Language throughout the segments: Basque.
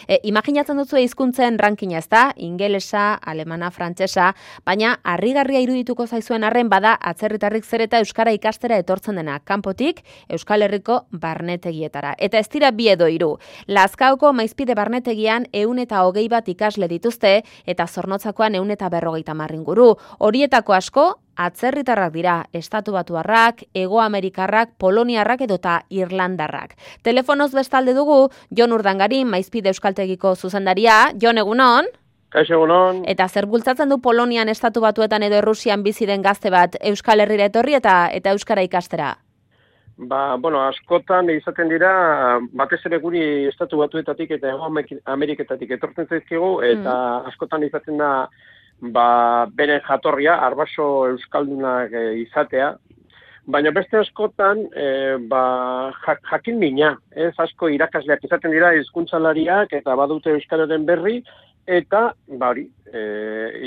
Imaginatzen duzu hizkuntzen rankina, ezta? Ingelesa, alemana, frantsesa, baina harrigarria irudituko zaizuen arren bada atzerritarrik zer eta euskara ikastera etortzen dena kanpotik Euskal Herriko barnetegietara. Eta ez dira bi edo hiru. Lazkaoko Maizpide barnetegian 121 ikasle dituzte eta Zornotzakoan 150 inguru. Horietako asko atzerritarrak dira, estatubatuarrak, Hegoamerikarrak, Poloniarrak edota Irlandarrak. Telefonoz bestalde dugu Jon Urdangarin, Maizpide euskaltegiko zuzendaria. Jon, egunon? Kaixo, egunon. Eta zer bultzatzen du Polonian, Estatubatuetan edo Errusian bizi den gazte bat Euskal Herrira etorri eta euskara ikastera? Askotan izaten dira, batez ere guri Estatu Batuetatik eta Ameriketatik etortzen zaizkigu, eta askotan izaten da, bere jatorria, arbaso euskaldunak izatea, baina beste askotan, jakin mina, ez asko irakasleak izaten dira, hizkuntzalariak eta badute euskararen berri, eta,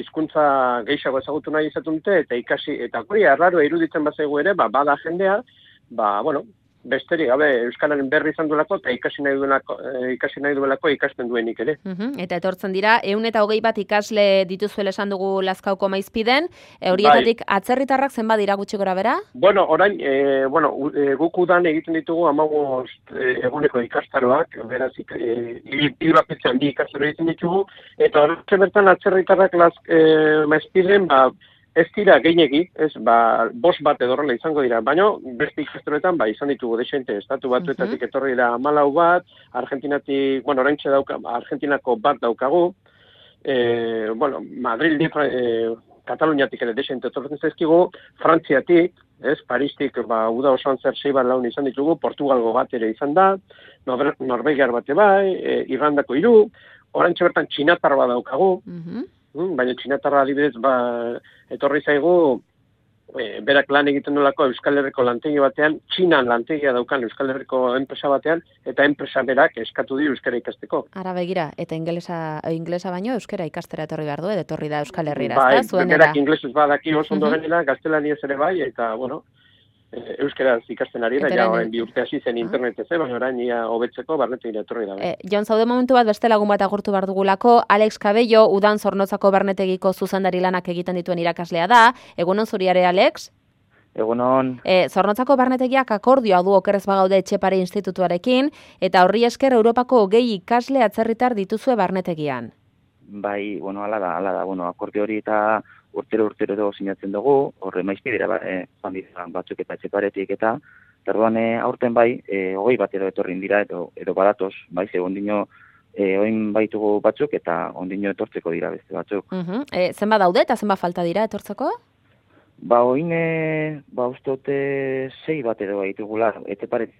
hizkuntza gehiago ezagutu nahi izaten dute, eta ikasi, eta guri arraro iruditzen bazaigu ere, bada jendea, besterik gabe euskararen berri izan duelako eta ikasi nahi duelako ikasten duenik ere. Eta etortzen dira 121 ikasle dituzuela esan dugu Lazkaoko Maizpiden, horietatik atzerritarrak zenbat dira gutxi gora bera? Orain, guk udan egiten ditugu 15 eguneko ikastaroak, beraz hil bakoitzean 2 ikastaro egiten ditugu, eta horretxe bertan atzerritarrak Maizpiden, ez dira gehiegi, 5 bat edo horrela izango dira, baina beste ikastaroetan izan ditugu desente, Estatu Batuetatik etorri dira 14 bat, Argentinatik, oraintxe Argentinako bat daukagu, Madrildik, Kataluniatik ere desente etortzen zaizkigu, Frantziatik, Paristik uda osoan zer 6 bat laun izan ditugu, Portugalgo bat ere izan da, Norvegiar bate bai, Irlandako 3, oraintxe bertan Txinatar bat daukagu, baina Txinatarra adibidez etorri zaigu berak lan egiten nolako Euskal Herriko lantegi batean, Txinan lantegia daukan Euskal Herriko enpresa batean, eta enpresa berak eskatu di euskara ikasteko. Ara begira, eta inglesa baino euskara ikastera etorri behar du, etorri da Euskal Herrira, ez da? Berak inglesez badaki oso ondo genela, gaztelaniaz ere bai, eta euskaraz ikasten ari da, ja orain 2 urte hasi zen internetez, baina orain hobetzeko barnetegira etorri da. Jon, zaude momentu bat beste lagun bat agurtu behar dugulako, Alex Cabello, udan Zornotzako barnetegiko zuzendari lanak egiten dituen irakaslea da. Egunon zuriare, Alex? Egunon. Zornotzako barnetegiak akordioa du okerrez bagaude Etxepare Institutuarekin, eta horri esker Europako 20 ikasle atzerritar dituzue barnetegian. Bai, hala da, akordio hori eta urtero sinatzen dugu, horre Maizpidera joan dira batzuk eta Etxeparetik eta orduan aurten 20 bat etorrin dira edo badatoz, ondino oin baitugu batzuk eta ondino etortzeko dira beste batzuk. Zenba daude eta zenba falta dira etortzeko? Oin, ustote 6 bat edo baitugula, Etxeparetik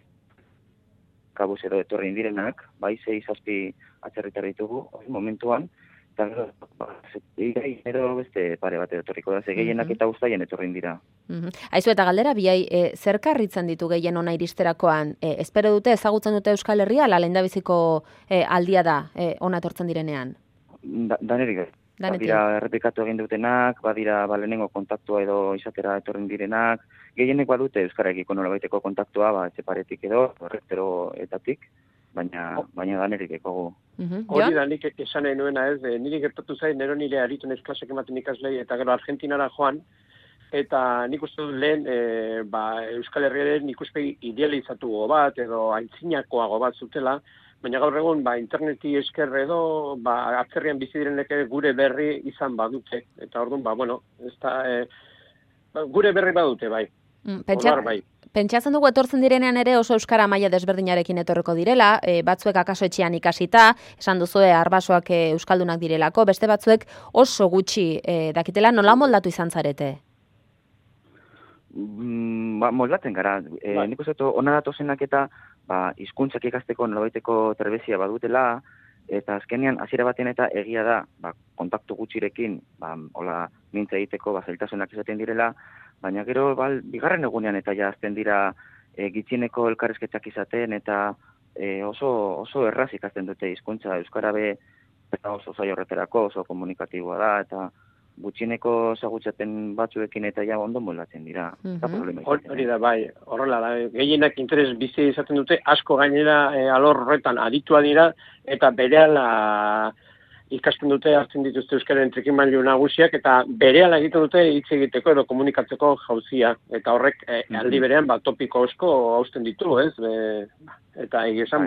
kabuz edo etorrin direnak, 6-7 atzerritar ditugu, momentuan, eta gero beste pare bat etorriko da, gehienak eta guztaien etorrin dira. Aizu eta galdera, biai, zer karritzen ditu gehien ona iristerakoan? Espero dute, ezagutzen dute Euskal Herria, lehendabiziko aldia da ona etortzen direnean? Danerik, badira errepikatu egin dutenak, badira lehenengo kontaktua edo izatera etorrin direnak, gehienek badute Euskarekiko nolabaiteko kontaktua, Etxeparetik edo, Horretzeroetatik, baina danerik ekogu. Hori da nik esan nahi nuena ez, niri gertatu zain, nire aritu nez klasek ematen ikaslei, eta gero Argentinara joan, eta nik uste dut lehen Euskal Herriaren ikuspegi idealizatuago bat, edo aintzinakoago bat zutela, baina gaur egun interneti esker edo atzerrian bizi direnek gure berri izan badute, eta orduan, gure berri badute, bai. Pentsatzen dugu etortzen direnean ere oso euskara maila desberdinarekin etorriko direla, batzuek akaso etxean ikasita, esan duzue arbasoak euskaldunak direlako, beste batzuek oso gutxi dakitela, nola moldatu izan zarete? Moldatzen gara, nik uste ona datozenak eta hizkuntzak ikasteko nolabaiteko trebezia badutela, eta azkenean hasiera batean eta egia da, kontaktu gutxirekin, hola mintza egiteko zailtasunak izaten direla, baina gero bigarren egunean eta ja azten dira gitxieneko elkarrizketak izaten eta oso erraz ikasten dute hizkuntza euskara eta oso zaio horreterako, oso komunikatiboa da eta gutxieneko zagutzaten batzuekin eta ja ondo moldatzen dira. Hori da, bai, horrela da. Gehienak interes bizi izaten dute, asko gainera alor horretan aditua dira, eta berehala ikasten dute, hartzen dituzte euskaren trikimailu nagusiak, eta berehala egiten dute hitz egiteko edo komunikatzeko jauzia. Eta horrek aldi berean topiko asko hausten ditu, ez? Eta egia esan,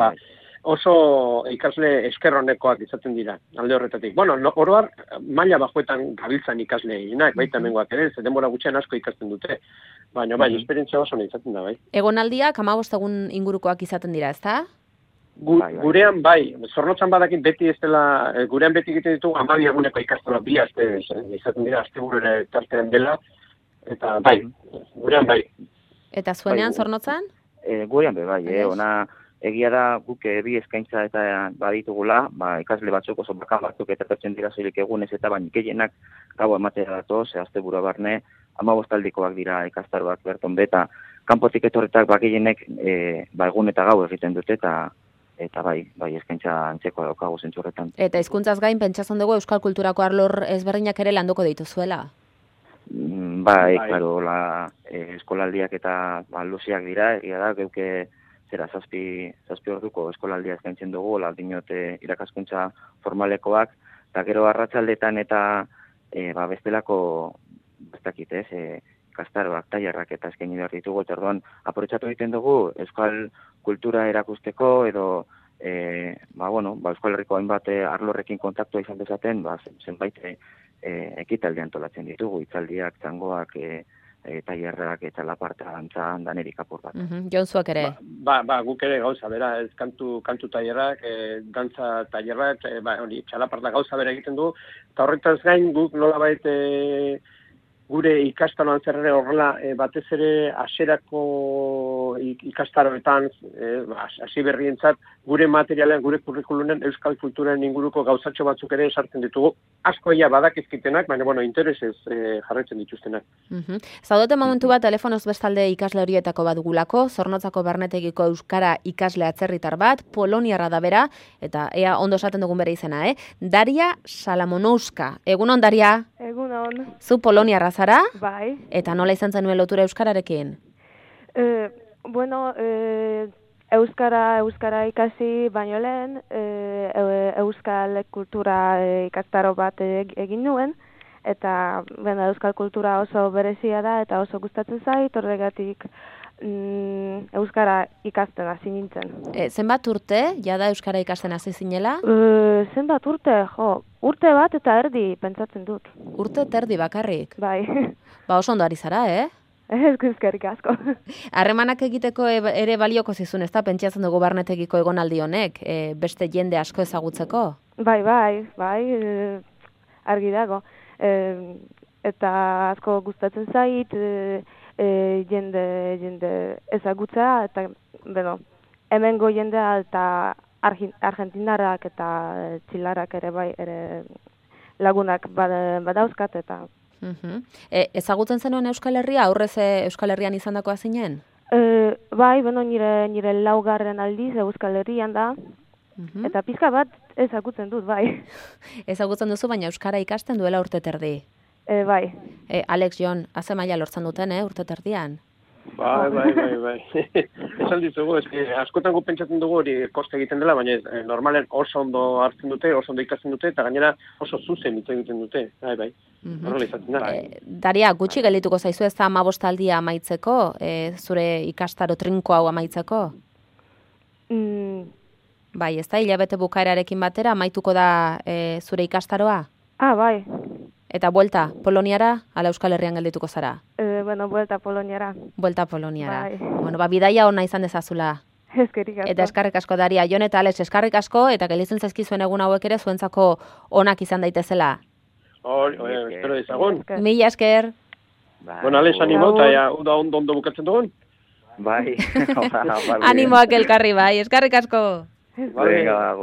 oso ikasle eskerronekoak izaten dira, alde horretatik. Bueno, oroar, maila bajuetan gabiltzan ikasle eginak, baita hemengoak ere, ze denbora gutxean asko ikasten dute. Baina, esperientzia oso izaten da, bai. Egonaldiak 15 egun ingurukoak izaten dira, ezta? Gurean, bai, Zornotzan badakit beti ez dela, gurean beti egiten ditugu 12 eguneko ikastola, bi aste izaten dira, asteburura tartean dela, eta bai, gurean bai. Eta zuenean, Zornotzan? Gurean bai, ona... Egia da guk bi eskaintza eta baditugula, ikasle batzuk oso bakan batzuk eta pertsen dira soilik egunez eta baina gehienak gau ematea datoz, asteburua barne, 15 aldikoak dira ikastaroak berton beta, kanpotik etorretak gehienek egun eta gau egiten dute eta bai eskaintza antzeko daukagu zentzu horretan. Eta hizkuntzaz gain pentsatzen dugu euskal kulturako arlor ezberdinak ere landuko dituzuela? Bai, claro, eskolaldiak eta luziak dira, egia da, geuke zera zazpi orduko eskolaldia eskaintzen dugu, dinote irakaskuntza formalekoak, eta gero arratsaldetan eta bestelako, bestakit ikastaroak, tailerrak eta eskaini behar ditugu, eta orduan aprobetxatu egiten dugu euskal kultura erakusteko, edo Euskal Herriko hainbat arlorrekin kontaktua izan dezaten, zenbait ekitalde antolatzen ditugu, hitzaldiak, txangoak, tailerrak eta laparta dantzan danerik apur bat. Jonzuak ere? Guk ere gauza, bera, ez kantu tailerrak, dantza tailerrak, txalaparta gauza bera egiten du, eta horretaz gain guk nolabait gure ikastaroan zerre horrela batez ere hasierako ikastaroetan, hasi berrientzat, gure materialean, gure kurrikulunen euskal kulturen inguruko gauzatxo batzuk ere esartzen ditugu. Askoia badakizkitenak, baina interesez jarraitzen dituztenak. Zaudote momentu bat telefonoz bestalde ikasle horietako bat dugulako, Zornotzako Barnetegiko euskara ikasle atzerritar bat, poloniarra da bera, eta ea ondo esaten dugun bere izena, Daria Salamonouska. Egunon, Daria? Egunon. Zu poloniarra zara? Bai. Eta nola izan zenuen lotura euskararekin? Euskara ikasi baino lehen, euskal kultura ikastaro bat egin nuen, eta euskal kultura oso berezia da eta oso gustatzen zait, horregatik euskara ikasten hasi nintzen. Zenbat urte, jada euskara ikasten hasi zinela? Zenbat urte, urte bat eta erdi pentsatzen dut. Urte eta erdi bakarrik? Bai. Oso ondo ari zara, Eskerrik asko. Harremanak egiteko ere balioko zizun, ez da, pentsatzen dugu Barnetegiko egonaldi honek, beste jende asko ezagutzeko? Bai, argi dago. Eta asko gustatzen zait, jende ezagutza, eta, hemengo jendea eta argentinarrak eta txilarrak ere bai, lagunak badauzkat, eta... Ezagutzen zenuen Euskal Herria, aurrez Euskal Herrian izandakoa zinen? Bai, nire laugarren aldiz Euskal Herrian da, eta pizka bat ezagutzen dut, bai. Ezagutzen duzu, baina Euskara ikasten duela urte terdi? Bai. Alex, Jon, haze maila lortzen duten, urte terdian? Bai. Esan ditugu, askotan gu pentsatzen dugu hori koste egiten dela, baina normalen oso ondo hartzen dute, oso ondo ikasten dute, eta gainera oso zuzen hitz egiten dute. Bai. Horrela izaten da. Daria, gutxi geldituko zaizu ez da 15 aldia amaitzeko, zure ikastaro trinko hau amaitzeko? Bai, ez da, hilabete bukaerarekin batera amaituko da zure ikastaroa? Bai. Eta buelta, Poloniara, ala Euskal Herrian geldituko zara? Buelta Poloniara. Buelta Poloniara. Bai. Bidaia ona izan dezazula. Eskerrik asko. Eta eskarrik asko, Daria. Jon eta Alex, eskarrik asko, eta gelditzen zaizkizuen egun hauek ere zuentzako onak izan daitezela. Espero dizagun. Mila esker. Alex, animo, eta ondo bukatzen dugun? Bai. Animoak elkarri, bai. Eskarrik asko. Venga,